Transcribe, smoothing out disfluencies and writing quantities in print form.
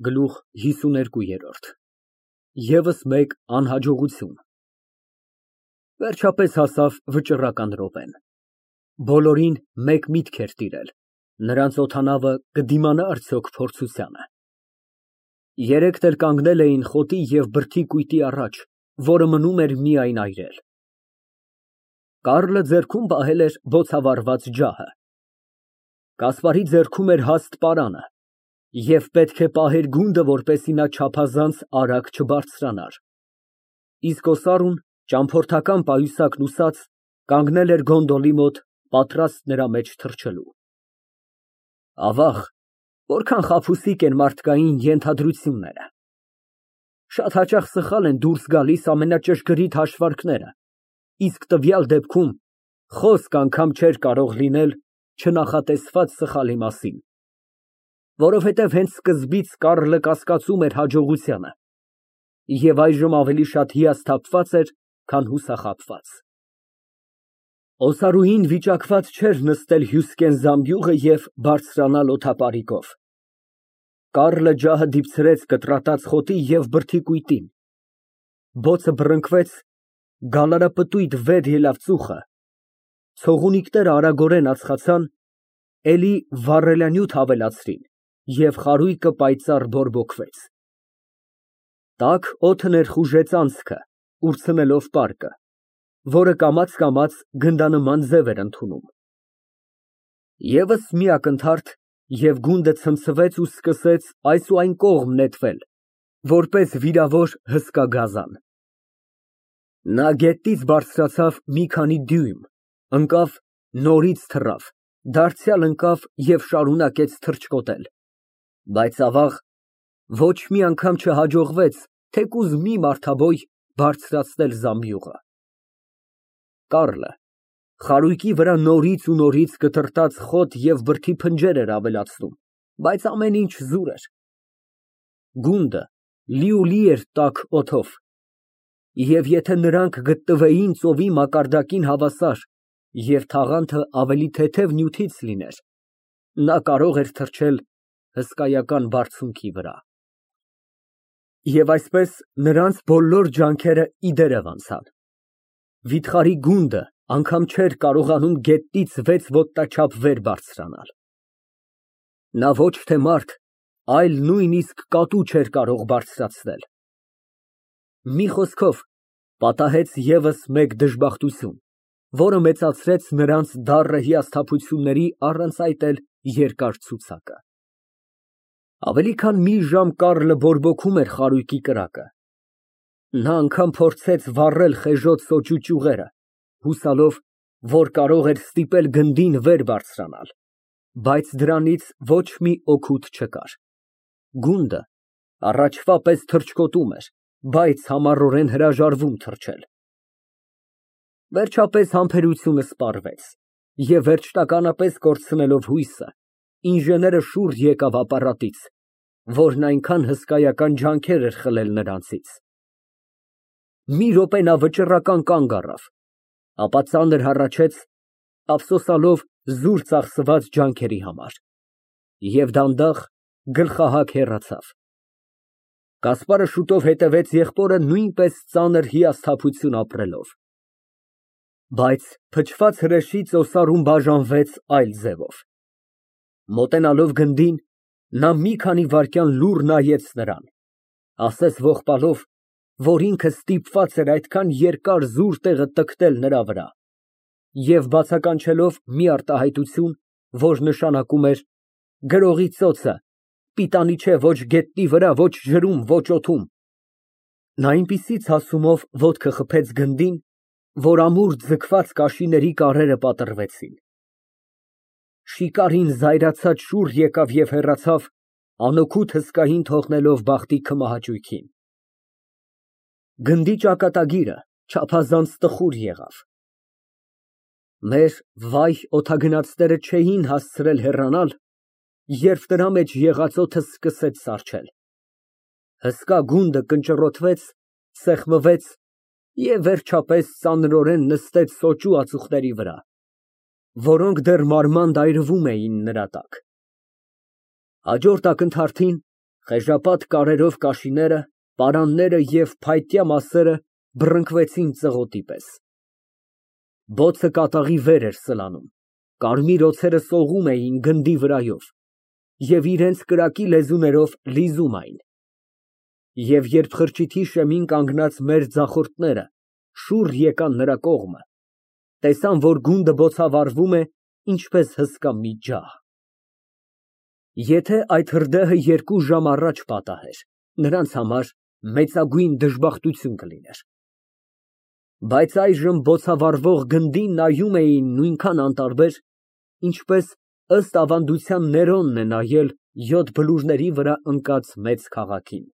Գլուխ 52 ԵՒս մեկ անհաջողություն։ Վերջապես հասավ վճռական րոպեն։ Բոլորին մեկ միտք էր տիրել, նրանց օդանավը կդիմանա արդյոք փորձությանը։ Երեքն էլ կանգնել էին խոտի և բրդի կույտի առաջ, որը մնում էր միայն այրել։ Կարլը ձեռքում պահել էր բոցավառված ջահը, Կասպարի ձեռքում էր հաստ պարանը և պետք է պահեր գունդը, որպեսզի նա չափազանց արագ չբարձրանար, իսկ օսարուն, ճամփորդական պայուսակն ուսած, կանգնել էր գոնդոլի մոտ, պատրաստ նրա մեջ թռչելու։ Ավաղ, որքան խաբուսիկ են մարդկային ենթադրությունները։ Շատ հաճախ սխալ են դուրս գալիս ամենաճշգրիտ հաշվարկները, իսկ տվյալ դեպքում խոսք անգամ չէր կարող լինել չնախատեսված սխալի մասին, որովհետև հենց սկզբից Կարլը կասկածում էր հաջողությանը և այժմ ավելի շատ հիասթափված էր, քան հուսախաբված։ Օսարուհին վիճակված չէր նստել հյուսկեն զամբյուղը և բարձրանալ օդապարիկով։ Կարլը ջահը դիպցրեց կտրատած խոտի և բրդի կույտին, բոցը բռնկվեց, գալարապտույտ վեր ելավ ծուխը, ցողունիկները արագորեն ածխացան, էլի վառելանյութ ավելացրին և խարույկը պայծառ բորբոքվեց։ Տաք օդը ներխուժեց անցքը, ուրցնելով պարկը, որը կամաց գնդանման ձև էր ընդունում։ Եվս մի ակնթարթ, և գունդը ցնցվեց ու սկսեց այս ու այն կողմ նետվել, որպես վիրավոր հսկա գազան։ Նա գետից բարձրացավ մի քանի դյույմ, ընկավ, նորից թռավ, դարձյալ ընկավ և շարունակեց թռչկոտել, բայց ավաղ, ոչ մի անգամ չհաջողվեց թեկուզ մի մարդաբոյ բարձրացնել զամբյուղը։ Կարլը խարույկի վրա նորից ու նորից կտրտած խոտ և բրդի փնջեր էր ավելացնում, բայց ամեն ինչ զուր էր։ Գունդը լիուլի էր տաք օդով, և եթե նրանք գտնվեին ծովի մակարդակին հավասար և թաղանթը ավելի թեթև նյութից լիներ, նա կարող էր թռչել հսկայական բարձունքի վրա։ Եվ այսպես նրանց բոլոր ջանքերը ի դերև անցան։ Վիթխարի գունդը անգամ չէր կարողանում գետնից 6 ոտնաչափ վեր բարձրանալ։ Նա ոչ թե մարդ, այլ նույնիսկ կատու չէր կարող բարձրացնել։ Մի խոսքով, պատահեց ևս մեկ դժբախտություն, որը մեծացրեց նրանց դառը հիասթափությունների առանց այդ էլ երկար ցուցակը։ Ավելի քան մի ժամ Կարլը բորբոքում էր խարույկի կրակը։ Նա անգամ փորձեց վառել խեժոց սոճու ճյուղերը, հուսալով, որ կարող էր ստիպել գնդին վեր բարձրանալ, բայց դրանից ոչ մի օգուտ չկար։ Գունդը առաջվա պես թռչկոտում էր, բայց համառորեն հրաժարվում թռչել։ Վերջապես համբերությունը սպառվեց, և վերջնականապես կորցնելով հույսը, ինժեները շուռ եկավ ապարատից, որն այնքան հսկայական ջանքեր էր խլել նրանցից։ Մի րոպե նա վճռական կանգ առավ, ապա ծանր հառաչեց, ափսոսալով զուր ծախսված ջանքերի համար, և դանդաղ, գլխահակ հեռացավ։ Կասպարը շուտով հետևեց եղբորը նույնպես ծանր հիասթափություն ապրելով։ Բայց փչված հրեշից օսարուն բաժանվեց այլ ձևով։ Մոտենալով գնդին, նա մի քանի վայրկյան լուռ նայեց նրան, ասես ողբալով, որ ինքը ստիպված էր այդքան երկար զուր տեղը տքնել նրա վրա, և բացականչելով մի արտահայտություն, որ նշանակում էր «գրողի ծոցը, պիտանի չէ ոչ գետնի վրա, ոչ ջրում, ոչ օդում»։ Նա այնպիսի ցասումով ոտքը խփեց գնդին, որ ամուր ձգված կաշիների կարերը պատռվեցին։ Շիկարին զայրացած շուռ եկավ և հեռացավ, անօգուտ հսկային թողնելով բախտի քմահաճույքին։ Գնդի ճակատագիրը չափազանց տխուր եղավ։ Մեր վայ օդագնացները չէին հասցրել հեռանալ, երբ նրա մեջ եղած օդը սկսեց սառչել։ Հսկա գունդը կնճռոտվեց, սեղմվեց և վերջապես ծանրորեն նստեց սոճու ածուխների վրա, որոնք դեռ մարմանդ այրվում էին նրա տակ։ Հաջորդ ակնթարթին Խեժապատ կարերով կաշիները, պարանները և փայտյա մասերը բռնկվեցին ծղոտի պես։ Բոցը կատաղի վեր էր սլանում, կարմիր օձերը սողում էին գնդի վրայով և իրենց կրակի լեզուներով լիզում այն։ Եվ երբ խրճիթի շեմին կանգնած մեր ձախորդները շուռ եկան նրա կողմը, տեսան, որ գունդը բոցավառվում է, ինչպես հսկա մի ջահ։ Եթե այդ հրդեհը 2 ժամ առաջ պատահեր, նրանց համար մեծագույն դժբախտություն կլիներ։ Բայց այժմ բոցավառվող գնդին նայում էին նույնքան անտարբեր, ինչպես ըստ ավանդության Ներոնն է նայել 7 բլուրների վրա ընկած մեծ քաղաքին։